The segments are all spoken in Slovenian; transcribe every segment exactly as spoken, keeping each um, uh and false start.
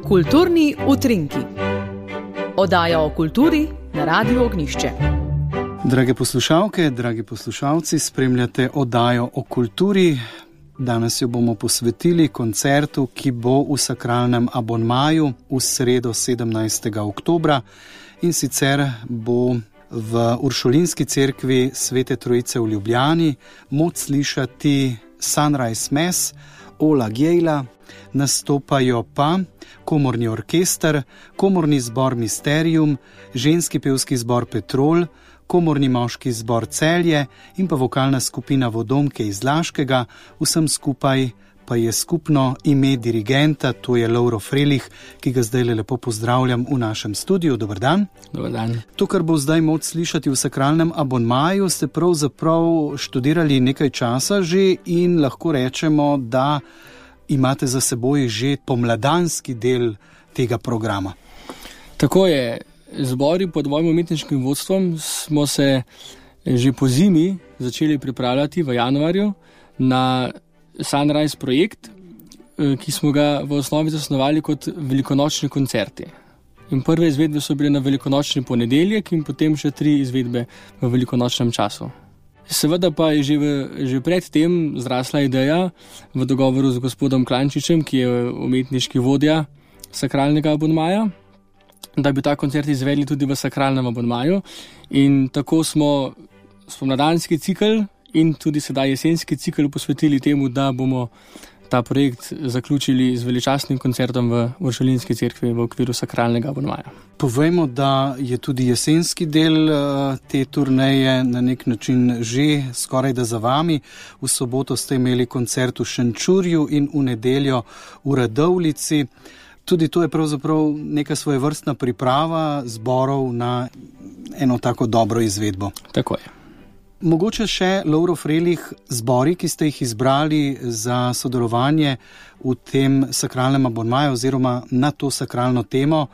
Kulturni utrinki. Oddaja o kulturi na Radiu Ognjišče. Drage poslušalke, dragi poslušalci, spremljate oddajo o kulturi. Danes jo bomo posvetili koncertu, ki bo v sakralnem abonmaju v sredo sedemnajstega oktobra, in sicer bo v Uršulinski cerkvi Svete Trojice v Ljubljani moč slišati Sunrise Mass Ola Gjejla, nastopajo pa komorni orkester, komorni zbor Mysterium, ženski pevski zbor Petrol, komorni moški zbor Celje in pa vokalna skupina Vodomke iz Laškega. Vsem skupaj pa je skupno ime dirigenta, to je Lovro Frelih, ki ga zdaj lepo pozdravljam v našem studiu. Dober dan. Dober dan. To, kar bo zdaj moč slišati v sakralnem abonmaju, ste pravzaprav študirali nekaj časa že in lahko rečemo, da imate za seboj že pomladanski del tega programa. Tako je. Zbori pod mojim umetniškim vodstvom smo se že po zimi začeli pripravljati v januarju na Sunrise projekt, ki smo ga v osnovi zasnovali kot velikonočni koncerti. In prve izvedbe so bile na velikonočni ponedeljek in potem še tri izvedbe v velikonočnem času. Seveda pa je že, v, že pred tem zrasla ideja v dogovoru z gospodom Klančičem, ki je umetniški vodja sakralnega abonmaja, da bi ta koncert izvedli tudi v sakralnem abonmaju. In tako smo spomladanski cikel in tudi sedaj jesenski cikel posvetili temu, da bomo ta projekt zaključili z veličastnim koncertom v Uršulinski cerkvi v okviru sakralnega abonmaja. Povejmo, da je tudi jesenski del te turneje na nek način že skoraj da za vami. V soboto ste imeli koncert v Šenčurju in v nedeljo v Radovljici. Tudi to je pravzaprav neka svojevrstna priprava zborov na eno tako dobro izvedbo. Tako je. Mogoče še, Lovro Frelih, zbori, ki ste jih izbrali za sodelovanje v tem sakralnem abonmaju oziroma na to sakralno temo,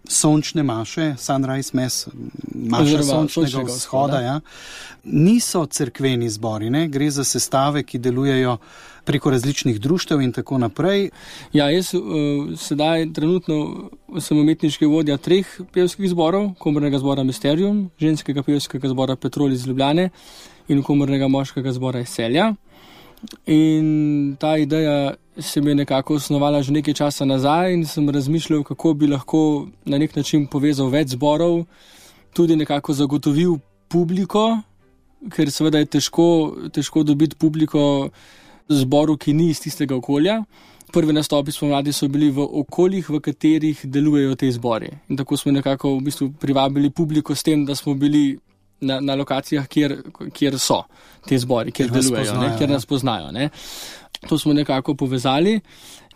sončne maše, Sunrise Mass, maša sončnega vzhoda, ja, niso cerkveni zbori, ne? Gre za sestave, ki delujejo preko različnih društev in tako naprej. Ja, jaz uh, sedaj trenutno sem umetniški vodja treh pevskih zborov, komornega zbora Mysterium, ženskega pevskega zbora Petrol iz Ljubljane in komornega moškega zbora iz Celja. In ta ideja se mi je nekako osnovala že nekaj časa nazaj in sem razmišljal, kako bi lahko na nek način povezal več zborov, tudi nekako zagotovil publiko, ker seveda je težko, težko dobiti publiko zboru, ki ni iz tistega okolja. Prvi nastopi spomladi so bili v okoljih, v katerih delujejo te zbori. In tako smo nekako v bistvu privabili publiko s tem, da smo bili na, na lokacijah, kjer, kjer so te zbori, kjer, kjer delujejo, nas poznajo, kjer nas poznajo. Ne. To smo nekako povezali.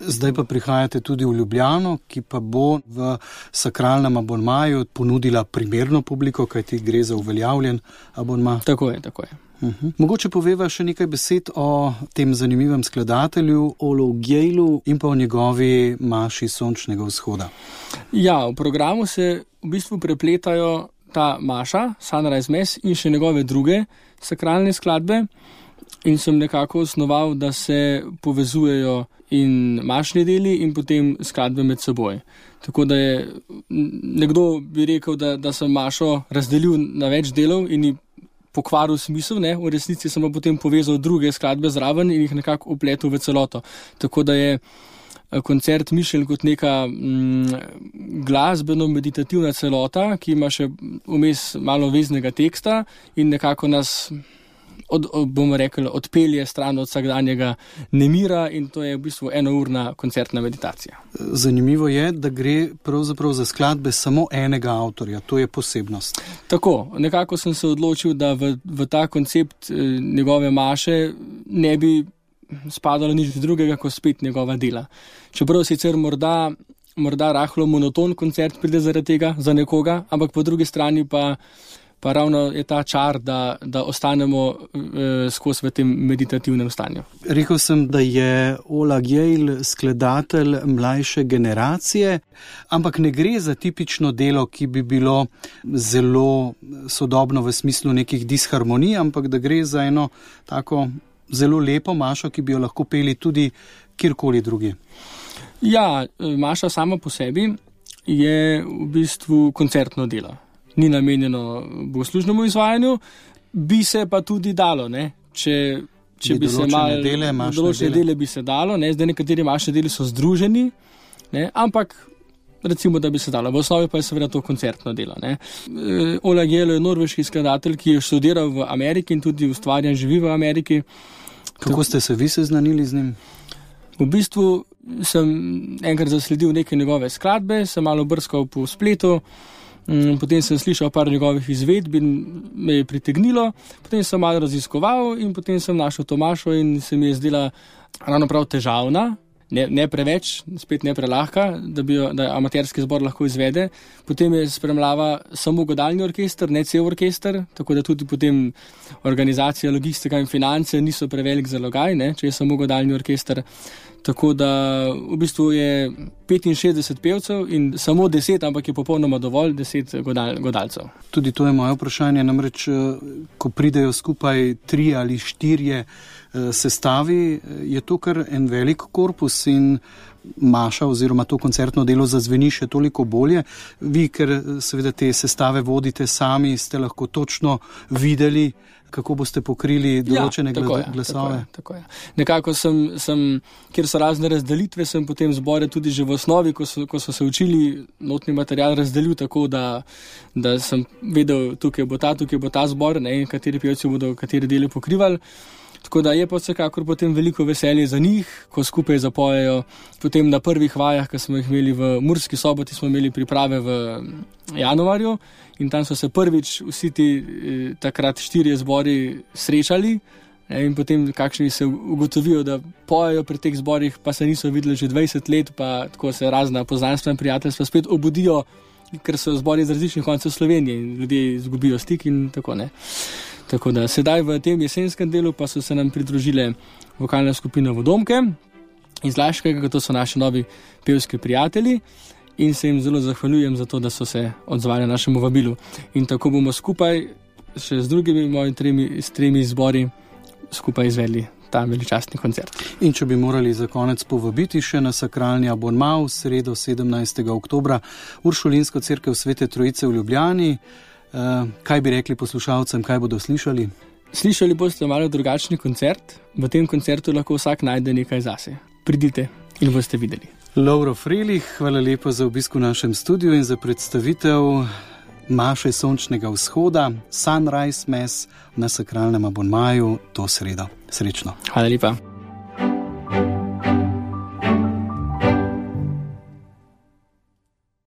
Zdaj pa prihajate tudi v Ljubljano, ki pa bo v sakralnem abonmaju ponudila primerno publiko, kajti gre za uveljavljen abonma. Tako je, tako je. Uh-huh. Mogoče poveva še nekaj besed o tem zanimivem skladatelju Olu Gjejlu in pa o njegovi maši sončnega vzhoda. Ja, v programu se v bistvu prepletajo ta maša, Sunrise Mass in še njegove druge sakralne skladbe in sem nekako osnoval, da se povezujejo in mašni deli in potem skladbe med seboj. Tako da je nekdo bi rekel, da, da sem mašo razdelil na več delov in pokvaril smisel, ne? V resnici sem pa potem povezal druge skladbe zraven in jih nekako upletel v celoto. Tako da je koncert mišljen kot neka mm, glasbeno-meditativna celota, ki ima še vmes malo veznega teksta in nekako nas Od, bomo rekli, odpelje stran od vsakdanjega nemira in to je v bistvu enourna koncertna meditacija. Zanimivo je, da gre pravzaprav za skladbe samo enega avtorja, to je posebnost. Tako, nekako sem se odločil, da v, v ta koncept eh, njegove maše ne bi spadalo nič drugega, kot spet njegova dela. Čeprav sicer morda, morda rahlo monoton koncert pride zaradi tega za nekoga, ampak po drugi strani pa pa ravno je ta čar, da, da ostanemo eh, skozi v tem meditativnem stanju. Rekel sem, da je Ola Gjejl skladatelj mlajše generacije, ampak ne gre za tipično delo, ki bi bilo zelo sodobno v smislu nekih disharmonij, ampak da gre za eno tako zelo lepo mašo, ki bi jo lahko peli tudi kjerkoli drugi. Ja, maša sama po sebi je v bistvu koncertno delo. Ni namenjeno bogoslužnemu izvajanju, bi se pa tudi dalo, ne? Če, če bi, bi se malo dele, določene dele. dele bi se dalo, ne? Zdaj nekateri mašne deli so združeni, ne? Ampak recimo, da bi se dalo. V osnovi pa je seveda to koncertno delo. Ne? Ola Gelo je norveški skladatelj, ki je študiral v Ameriki in tudi ustvarja in živi v Ameriki. Kako ste se vi seznanili z njim? V bistvu sem enkrat zasledil neke njegove skladbe, sem malo brskal po spletu, potem sem slišal par njegovih izvedb in me je pritegnilo, potem sem malo raziskoval in potem sem našel Tomašo in se mi je zdela ravno prav težavna. Ne, ne preveč, spet ne prelahka, da bi jo, da amaterski zbor lahko izvede. Potem je spremljava samo godalni orkester, ne cel orkester, tako da tudi potem organizacija, logistika in finance niso prevelik zalogaj, ne, če je samo godalni orkester. Tako da v bistvu je petinšestdeset pevcev in samo deset, ampak je popolnoma dovolj, deset godal, godalcev. Tudi to je moje vprašanje, namreč, ko pridejo skupaj tri ali štirje sestavi, je to kar en velik korpus in maša oziroma to koncertno delo zazveni še toliko bolje. Vi, ker seveda te sestave vodite sami, ste lahko točno videli, kako boste pokrili določene ja, tako je, glasove. Tako je, tako je. Nekako sem, sem, kjer so razne razdelitve, sem potem zbore tudi že v osnovi, ko so, ko so se učili, notni material razdelil tako, da, da sem vedel, tukaj bo ta, tukaj bo ta zbor, ne, kateri pevci bodo kateri deli pokrivali. Tako da je pa vsekakor potem veliko veselje za njih, ko skupaj zapojejo. Potem na prvih vajah, ki smo jih imeli v Murski Soboti, smo imeli priprave v januarju in tam so se prvič vsi ti takrat štirje zbori srečali in potem kakšni se ugotovijo, da pojejo pri teh zborih, pa se niso videli že dvajset let, pa tako se razna poznanstva in prijateljstva spet obudijo, ker so zbori iz različnih koncev Slovenije in ljudje izgubijo stik in tako ne. Tako da sedaj v tem jesenskem delu pa so se nam pridružile vokalne skupine Vodomke iz Laškega, to so naši novi pevski prijatelji in se jim zelo zahvaljujem za to, da so se odzvali našemu vabilu. In tako bomo skupaj še z drugimi mojimi tremi, s tremi zbori skupaj izvedli ta veličastni koncert. In če bi morali za konec povabiti še na sakralni abonma v sredo sedemnajstega oktobra Uršulinsko cerkev Svete Trojice v Ljubljani, Uh, kaj bi rekli poslušalcem, kaj bodo slišali? Slišali boste malo drugačni koncert. V tem koncertu lahko vsak najde nekaj zase. Pridite in boste videli. Lovro Frelih, hvala lepo za obisk v našem studiu in za predstavitev Maše sončnega vzhoda, Sunrise Mass na sakralnem abonmaju to sredo. Srečno. Hvala lepa.